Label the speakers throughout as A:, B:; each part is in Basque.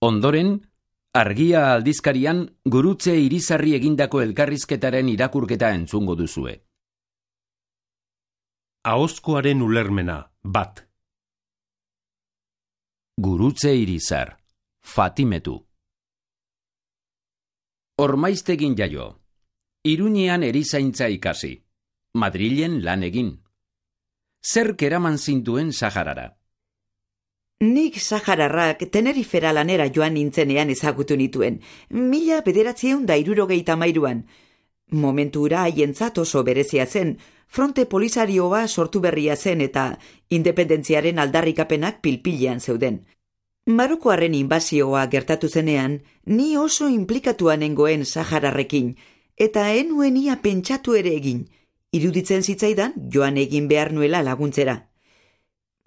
A: Ondoren, Argia aldizkarian Gurutze Irizarri egindako elkarrizketaren irakurketa entzungo duzue.
B: Ahozkoaren ulermena, 1.
A: Gurutze Irizar, Fatimetu. Ormaiztegin jaio. Iruñean erizaintza ikasi. Madrilen lan egin. Zerk eraman zintuen Saharara?
C: Nik Sahararrak Tenerifera lanera joan nintzenean ezagutu nituen, 1963an. Momentu hura haientzat oso berezia zen, fronte polisarioa sortu berria zen eta independentziaren aldarrikapenak pilpilean zeuden. Marokoarren inbasioa gertatu zenean, ni oso inplikatua nengoen Sahararrekin, eta enuen ia pentsatu ere egin, iruditzen zitzaidan joan egin behar nuela laguntzera.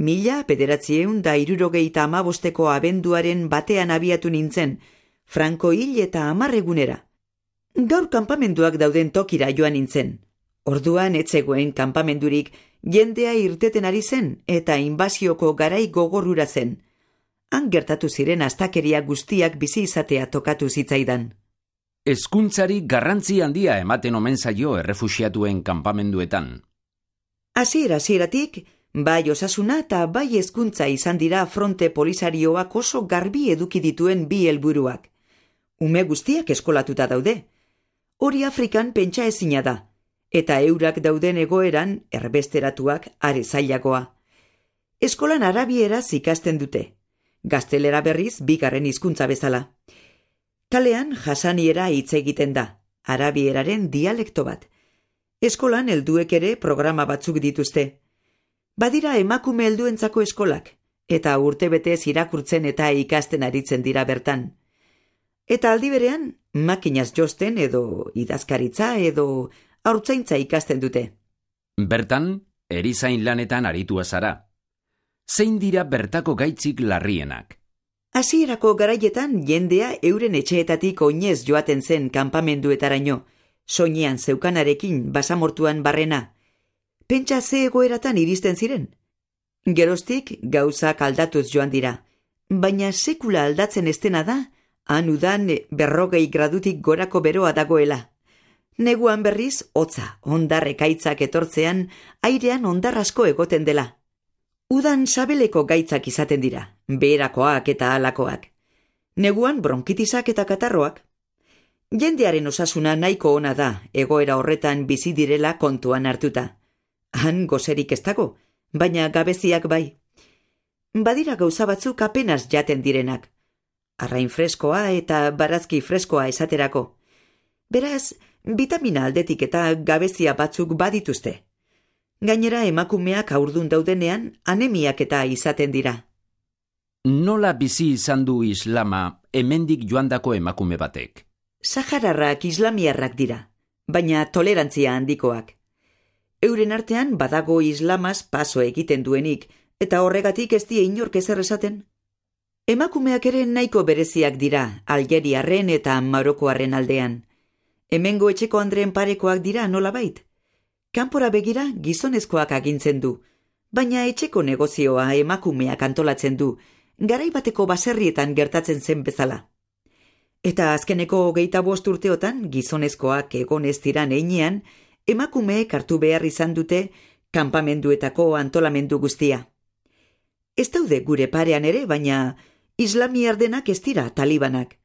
C: 1965ko abenduaren batean abiatu nintzen, Franko hil eta 10 egunera. Gaur kanpamenduak dauden tokira joan nintzen. Orduan etzegoen kanpamendurik, jendea irteten ari zen eta inbasioko garai gogorrura zen. Han gertatu ziren astakeria guztiak bizi izatea tokatu zitzaidan.
A: Hezkuntzari garrantzi handia ematen omen zaio errefuxiatuen kanpamenduetan.
C: Hasieratik, bai osasuna eta bai hezkuntza izan dira fronte polisarioak oso garbi eduki dituen bi helburuak. Ume guztiak eskolatuta daude. Hori Afrikan pentsa ezina da, eta eurak dauden egoeran erbesteratuak are zailagoa. Eskolan arabieraz ikasten dute. Gaztelera berriz bigarren hizkuntza bezala. Kalean jasaniera hitz egiten da, arabieraren dialekto bat. Eskolan helduek ere programa batzuk dituzte. Badira emakume helduentzako eskolak, eta urtebetez irakurtzen eta ikasten aritzen dira bertan. Eta aldi berean, makinaz josten edo idazkaritza edo haurtzaintza ikasten dute.
A: Bertan, erizain lanetan aritua zara. Zein dira bertako gaitzik larrienak?
C: Hasierako garaietan jendea euren etxeetatik oinez joaten zen kanpamenduetaraino, soinean zeukanarekin basamortuan barrena. Pentsa ze egoeratan iristen ziren. Geroztik gauzak aldatuz joan dira, baina sekula aldatzen estena da, han udan 40 gradutik gorako beroa dagoela. Neguan berriz, hotza, hondar ekaitzak etortzean, airean hondar asko egoten dela. Udan sabeleko gaitzak izaten dira, beherakoak eta halakoak. Neguan bronkitisak eta katarroak. Jendearen osasuna nahiko ona da, egoera horretan bizi direla kontuan hartuta. Han gozerik ez dago, baina gabeziak bai. Badira gauza batzuk apenas jaten direnak. Arrain freskoa eta barazki freskoa esaterako. Beraz, vitamina aldetik eta gabezia batzuk badituzte. Gainera emakumeak haurdun daudenean anemiak eta izaten dira.
A: Nola bizi izan du islama hemendik joandako emakume batek?
C: Sahararrak islamiarrak dira, baina tolerantzia handikoak. Euren artean badago islamaz paso egiten duenik, eta horregatik ez die inork ezer esaten. Emakumeak ere nahiko bereziak dira, Algeriarren eta Marokoarren aldean. Hemengo etxeko andreen parekoak dira nolabait. Kanpora begira gizonezkoak agintzen du, baina etxeko negozioa emakumeak antolatzen du, garai bateko baserrietan gertatzen zen bezala. Eta azkeneko 25 urteotan gizonezkoak egon ez diran heinean, emakumeek hartu behar izan dute kanpamenduetako antolamendu guztia. Ez daude gure parean ere, baina islamiar denak ez dira talibanak.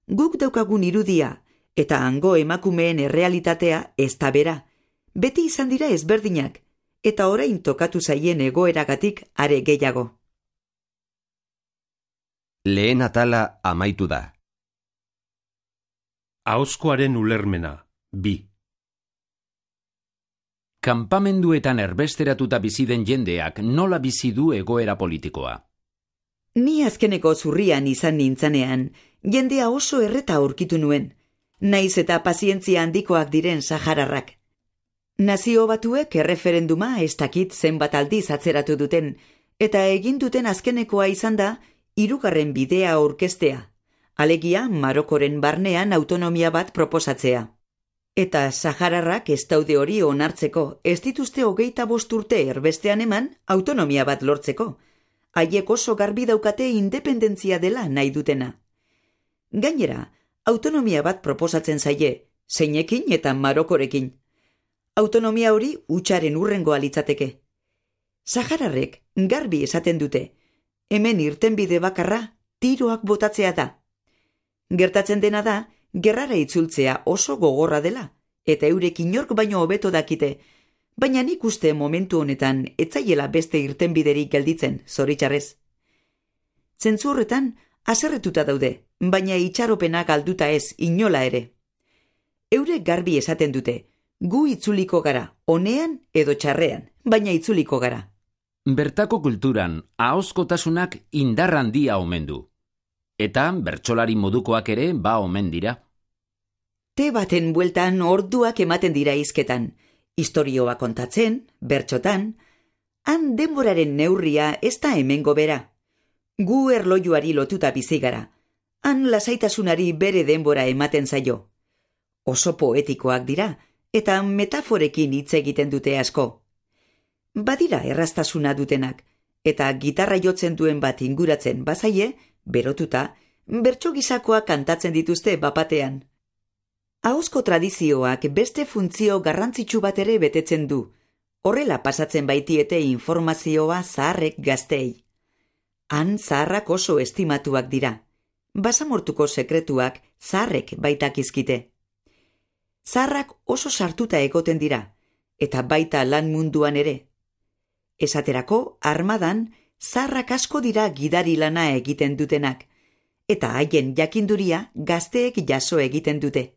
C: Guk daukagun irudia eta hango emakumeen errealitatea ez da bera. Beti izan dira ezberdinak, eta orain tokatu zaien egoeragatik are gehiago.
D: Lehen atala amaitu da.
B: Ahozkoaren ulermena, 2.
A: Kanpamenduetan erbesteratuta bizi den jendeak nola bizi du egoera politikoa?
C: Ni azkeneko zurrian izan nintzanean, jendea oso erreta aurkitu nuen, naiz eta pazientzia handikoak diren Sahararrak. Nazio Batuek erreferenduma ez dakit zenbat aldiz atzeratu duten, eta egin duten azkenekoa izan da 3. bidea aurkeztea, alegia Marokoren barnean autonomia bat proposatzea. Eta Sahararrak ez daude hori onartzeko, ez dituzte 25 urte erbestean eman autonomia bat lortzeko. haiek oso garbi daukate independentzia dela nahi dutena. Gainera, autonomia bat proposatzen zaie, zeinekin eta Marokorekin. Autonomia hori hutsaren hurrengoa litzateke. Sahararrek garbi esaten dute, hemen irtenbide bakarra tiroak botatzea da. Gertatzen dena da, gerrara itzultzea oso gogorra dela, eta eurek inork baino hobeto dakite, baina nik uste momentu honetan etzaiela beste irtenbiderik gelditzen, zoritxarrez. Zentzu horretan, haserretuta daude, baina itxaropena galduta ez inola ere. Eurek garbi esaten dute, gu itzuliko gara, onean edo txarrean, baina itzuliko gara.
A: Bertako kulturan ahozkotasunak indar handia omen du. Eta bertsolari modukoak ere ba omen dira.
C: Te baten bueltan orduak ematen dira hizketan, istorioa kontatzen, bertsotan, han denboraren neurria ez da hemengo bera. Gu erlojuari lotuta bizi gara, han lasaitasunari bere denbora ematen zaio. Oso poetikoak dira, eta metaforekin hitz egiten dute asko. Badira erraztasuna dutenak, eta gitarra jotzen duen bat inguratzen bazaie, berotuta, bertso gisakoak kantatzen dituzte bapatean. Ahozko tradizioak beste funtzio garrantzitsu bat ere betetzen du, horrela pasatzen baitiete informazioa zaharrek gaztei. Han zaharrak oso estimatuak dira, basamortuko sekretuak zaharrek baitakizkite. Zaharrak oso sartuta egoten dira, eta baita lan munduan ere. Esaterako, armadan, zaharrak asko dira gidari lana egiten dutenak, eta haien jakinduria gazteek jaso egiten dute.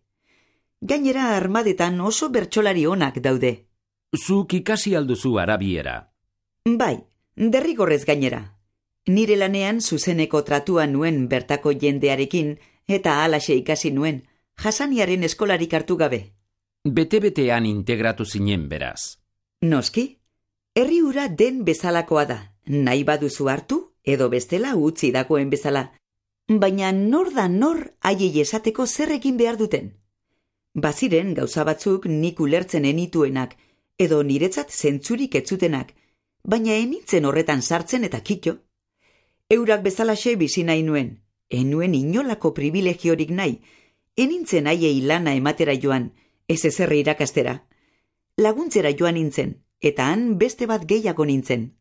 C: Gainera armadetan oso bertsolari onak daude.
A: Zuk ikasi alduzu arabiera.
C: Bai, derrigorrez gainera. Nire lanean zuzeneko tratua nuen bertako jendearekin, eta halaxe ikasi nuen, Hasaniaren eskolarik hartu gabe.
A: Bete-betean integratu zinen beraz.
C: Noski, herri hura den bezalakoa da, nahi baduzu hartu, edo bestela utzi dagoen bezala. Baina nor da nor haiei esateko zer egin behar duten. Baziren gauza batzuk nik ulertzen enituenak, edo niretzat zentzurik etzutenak, baina enintzen horretan sartzen eta kitxo. Eurak bezalaxe bizi nahi nuen, enuen inolako privilegiorik nahi, enintzen haiei lana ematera joan, ez ezerre irakastera. Laguntzera joan nintzen, eta han beste bat gehiago nintzen.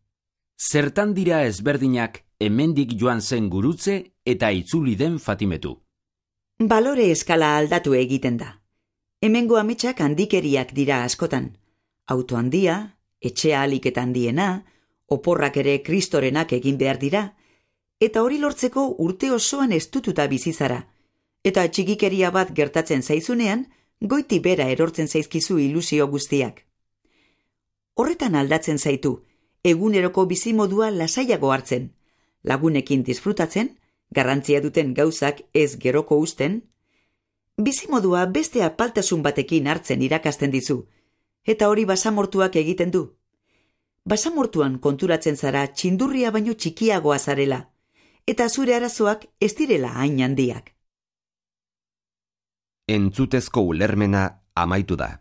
A: Zertan dira ezberdinak hemendik joan zen gurutze eta itzuli den Fatimetu.
C: Balore eskala aldatu egiten da. Hemengo ametsak handikeriak dira askotan. Auto handia, etxea alik eta handiena, oporrak ere kristorenak egin behar dira, eta hori lortzeko urte osoan estututa bizizara, eta txikikeria bat gertatzen zaizunean, goiti bera erortzen zaizkizu ilusio guztiak. Horretan aldatzen zaitu, eguneroko bizimodua lasaiago hartzen, lagunekin disfrutatzen, garrantzia duten gauzak ez geroko uzten, bizimodua beste apaltasun batekin hartzen irakasten dizu, eta hori basamortuak egiten du. Basamortuan konturatzen zara txindurria baino txikiagoa zarela, eta zure arazoak ez direla hain handiak.
D: Entzutezko ulermena amaitu da.